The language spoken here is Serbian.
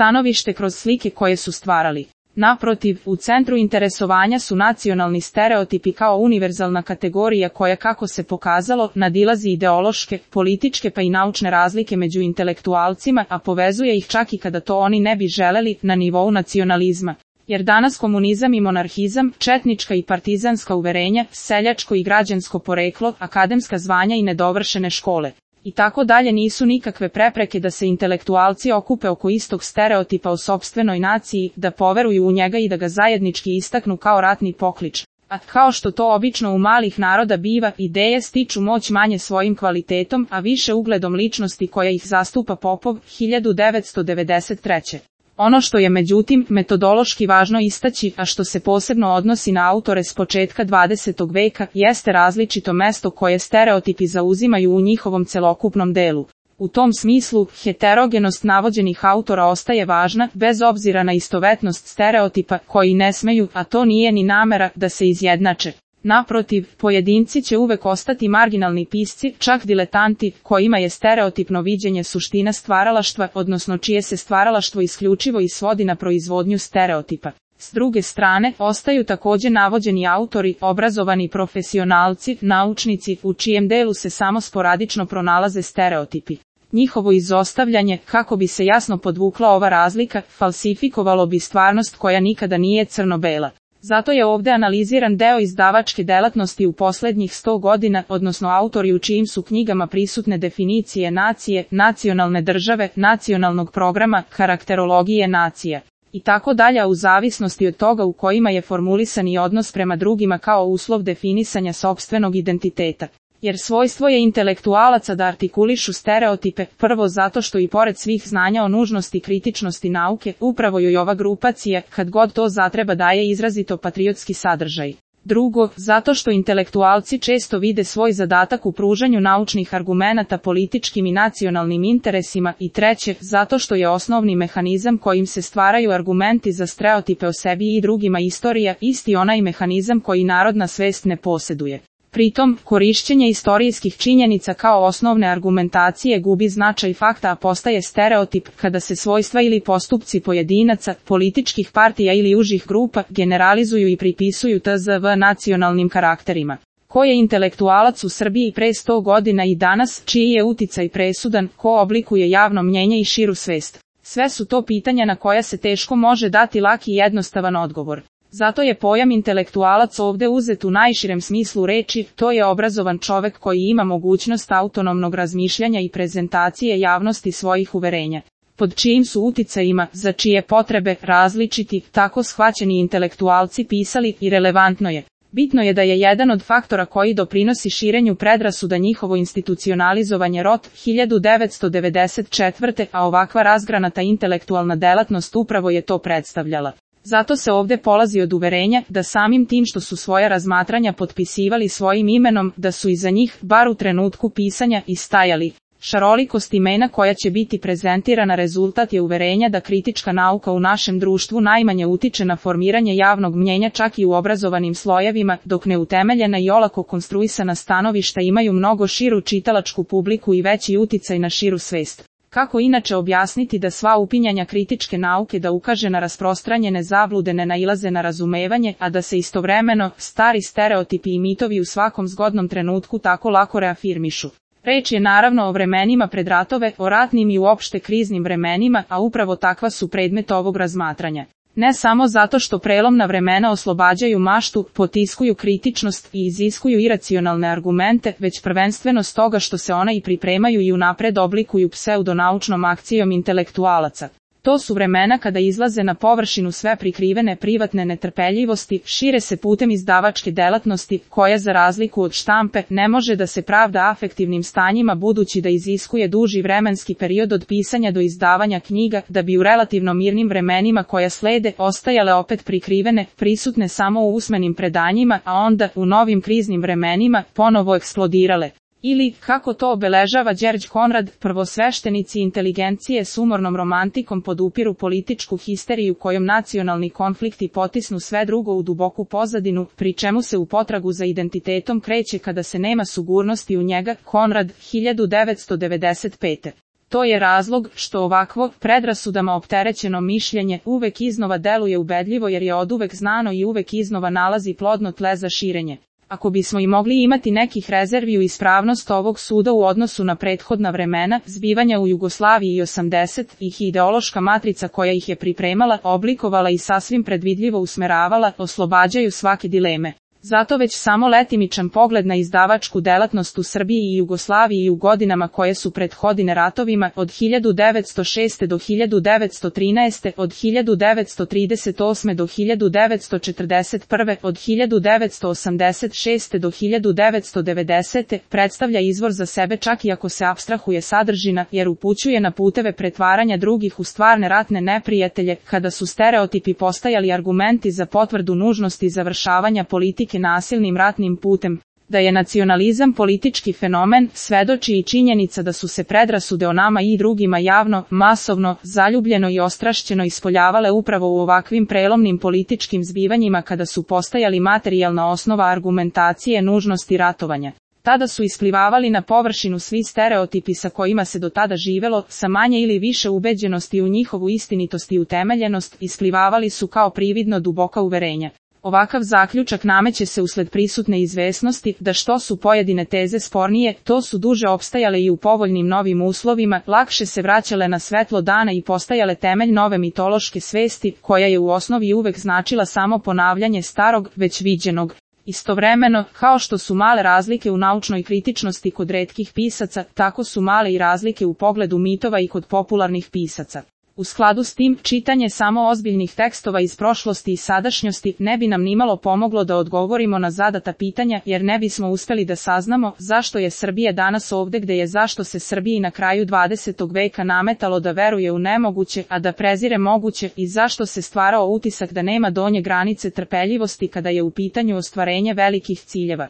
stanovište kroz slike koje su stvarali. Naprotiv, u centru interesovanja su nacionalni stereotipi kao univerzalna kategorija koja, kako se pokazalo, nadilazi ideološke, političke pa i naučne razlike među intelektualcima, a povezuje ih čak i kada to oni ne bi želeli, na nivou nacionalizma. Jer danas komunizam i monarhizam, četnička i partizanska uverenja, seljačko i građansko poreklo, akademska zvanja i nedovršene škole i tako dalje nisu nikakve prepreke da se intelektualci okupe oko istog stereotipa o sopstvenoj naciji, da poveruju u njega i da ga zajednički istaknu kao ratni poklič. A kao što to obično u malih naroda biva, ideje stiču moć manje svojim kvalitetom, a više ugledom ličnosti koja ih zastupa Popov, 1993. Ono što je međutim metodološki važno istaći, a što se posebno odnosi na autore s početka 20. veka, jeste različito mesto koje stereotipi zauzimaju u njihovom celokupnom delu. U tom smislu, heterogenost navođenih autora ostaje važna, bez obzira na istovetnost stereotipa, koji ne smeju, a to nije ni namera, da se izjednače. Naprotiv, pojedinci će uvek ostati marginalni pisci, čak diletanti, kojima je stereotipno viđenje suština stvaralaštva, odnosno čije se stvaralaštvo isključivo i svodi na proizvodnju stereotipa. S druge strane, ostaju također navođeni autori, obrazovani profesionalci, naučnici, u čijem delu se samo sporadično pronalaze stereotipi. Njihovo izostavljanje, kako bi se jasno podvukla ova razlika, falsifikovalo bi stvarnost koja nikada nije crno-bela. Zato je ovdje analiziran deo izdavačke delatnosti u posljednjih 100 godina, odnosno autori u čijim su knjigama prisutne definicije nacije, nacionalne države, nacionalnog programa, karakterologije nacija i tako dalje, u zavisnosti od toga u kojima je formulisan i odnos prema drugima kao uslov definisanja sopstvenog identiteta. Jer svojstvo je intelektualaca da artikulišu stereotipe, prvo zato što i pored svih znanja o nužnosti kritičnosti nauke, upravo joj ova grupacija, kad god to zatreba, daje izrazito patriotski sadržaj. Drugo, zato što intelektualci često vide svoj zadatak u pružanju naučnih argumenata političkim i nacionalnim interesima, i treće, zato što je osnovni mehanizam kojim se stvaraju argumenti za stereotipe o sebi i drugima istorija, isti onaj mehanizam koji narodna svest ne posjeduje. Pritom, korišćenje istorijskih činjenica kao osnovne argumentacije gubi značaj fakta, a postaje stereotip kada se svojstva ili postupci pojedinaca, političkih partija ili užih grupa generalizuju i pripisuju tzv. Nacionalnim karakterima. Ko je intelektualac u Srbiji pre 100 godina i danas, čiji je uticaj presudan, ko oblikuje javno mnjenje i širu svest? Sve su to pitanja na koja se teško može dati laki i jednostavan odgovor. Zato je pojam intelektualac ovdje uzet u najširem smislu reči, to je obrazovan čovek koji ima mogućnost autonomnog razmišljanja i prezentacije javnosti svojih uverenja. Pod čijim su uticajima, za čije potrebe, različiti, tako shvaćeni intelektualci pisali, i relevantno je. Bitno je da je jedan od faktora koji doprinosi širenju predrasuda njihovo institucionalizovanje rot 1994. a ovakva razgranata intelektualna delatnost upravo je to predstavljala. Zato se ovdje polazi od uverenja da samim tim što su svoja razmatranja potpisivali svojim imenom, da su iza njih, bar u trenutku pisanja, i stajali. Šarolikost imena koja će biti prezentirana rezultat je uverenja da kritička nauka u našem društvu najmanje utiče na formiranje javnog mnjenja čak i u obrazovanim slojevima, dok neutemeljena i olako konstruisana stanovišta imaju mnogo širu čitalačku publiku i veći uticaj na širu svest. Kako inače objasniti da sva upinjanja kritičke nauke da ukaže na rasprostranjene zablude ne nailaze na razumevanje, a da se istovremeno stari stereotipi i mitovi u svakom zgodnom trenutku tako lako reafirmišu? Reč je naravno o vremenima pred ratove, o ratnim i uopšte kriznim vremenima, a upravo takva su predmet ovog razmatranja. Ne samo zato što prelomna vremena oslobađaju maštu, potiskuju kritičnost i iziskuju iracionalne argumente, već prvenstveno stoga što se ona i pripremaju i unapred oblikuju pseudonaučnom akcijom intelektualaca. To su vremena kada izlaze na površinu sve prikrivene privatne netrpeljivosti, šire se putem izdavačke delatnosti, koja za razliku od štampe ne može da se pravda afektivnim stanjima budući da iziskuje duži vremenski period od pisanja do izdavanja knjiga, da bi u relativno mirnim vremenima koja slede ostajale opet prikrivene, prisutne samo u usmenim predanjima, a onda, u novim kriznim vremenima, ponovo eksplodirale. Ili, kako to obeležava Đerđ Konrad, prvosveštenici inteligencije s umornom romantikom podupiru političku histeriju kojom nacionalni konflikti potisnu sve drugo u duboku pozadinu, pri čemu se u potragu za identitetom kreće kada se nema sigurnosti u njega. Konrad, 1995. To je razlog što ovakvo, predrasudama opterećeno mišljenje uvek iznova deluje ubedljivo jer je oduvek znano i uvek iznova nalazi plodno tle za širenje. Ako bismo i mogli imati nekih rezervi u ispravnost ovog suda u odnosu na prethodna vremena, zbivanja u Jugoslaviji i 80-ih i ideološka matrica koja ih je pripremala, oblikovala i sasvim predvidljivo usmeravala, oslobađaju svake dileme. Zato već samo letimičan pogled na izdavačku delatnost u Srbiji i Jugoslaviji i u godinama koje su prethodine ratovima, od 1906. do 1913. od 1938. do 1941. od 1986. do 1990. predstavlja izvor za sebe čak i ako se apstrahuje sadržina, jer upućuje na puteve pretvaranja drugih u stvarne ratne neprijatelje, kada su stereotipi postajali argumenti za potvrdu nužnosti završavanja politike nasilnim ratnim putem. Da je nacionalizam politički fenomen, svedoči i činjenica da su se predrasude o nama i drugima javno, masovno, zaljubljeno i ostrašćeno ispoljavale upravo u ovakvim prelomnim političkim zbivanjima kada su postajali materijalna osnova argumentacije nužnosti ratovanja. Tada su isplivavali na površinu svi stereotipi sa kojima se do tada živelo, sa manje ili više ubeđenosti u njihovu istinitost i utemeljenost, isplivavali su kao prividno duboka uverenja. Ovakav zaključak nameće se usled prisutne izvesnosti da što su pojedine teze spornije, to su duže opstajale i u povoljnim novim uslovima, lakše se vraćale na svetlo dana i postajale temelj nove mitološke svesti, koja je u osnovi uvek značila samo ponavljanje starog, već viđenog. Istovremeno, kao što su male razlike u naučnoj kritičnosti kod retkih pisaca, tako su male i razlike u pogledu mitova i kod popularnih pisaca. U skladu s tim, čitanje samo ozbiljnih tekstova iz prošlosti i sadašnjosti ne bi nam nimalo pomoglo da odgovorimo na zadata pitanja, jer ne bismo uspeli da saznamo zašto je Srbija danas ovde gde je, zašto se Srbiji na kraju 20. veka nametalo da veruje u nemoguće, a da prezire moguće, i zašto se stvarao utisak da nema donje granice trpeljivosti kada je u pitanju ostvarenje velikih ciljeva.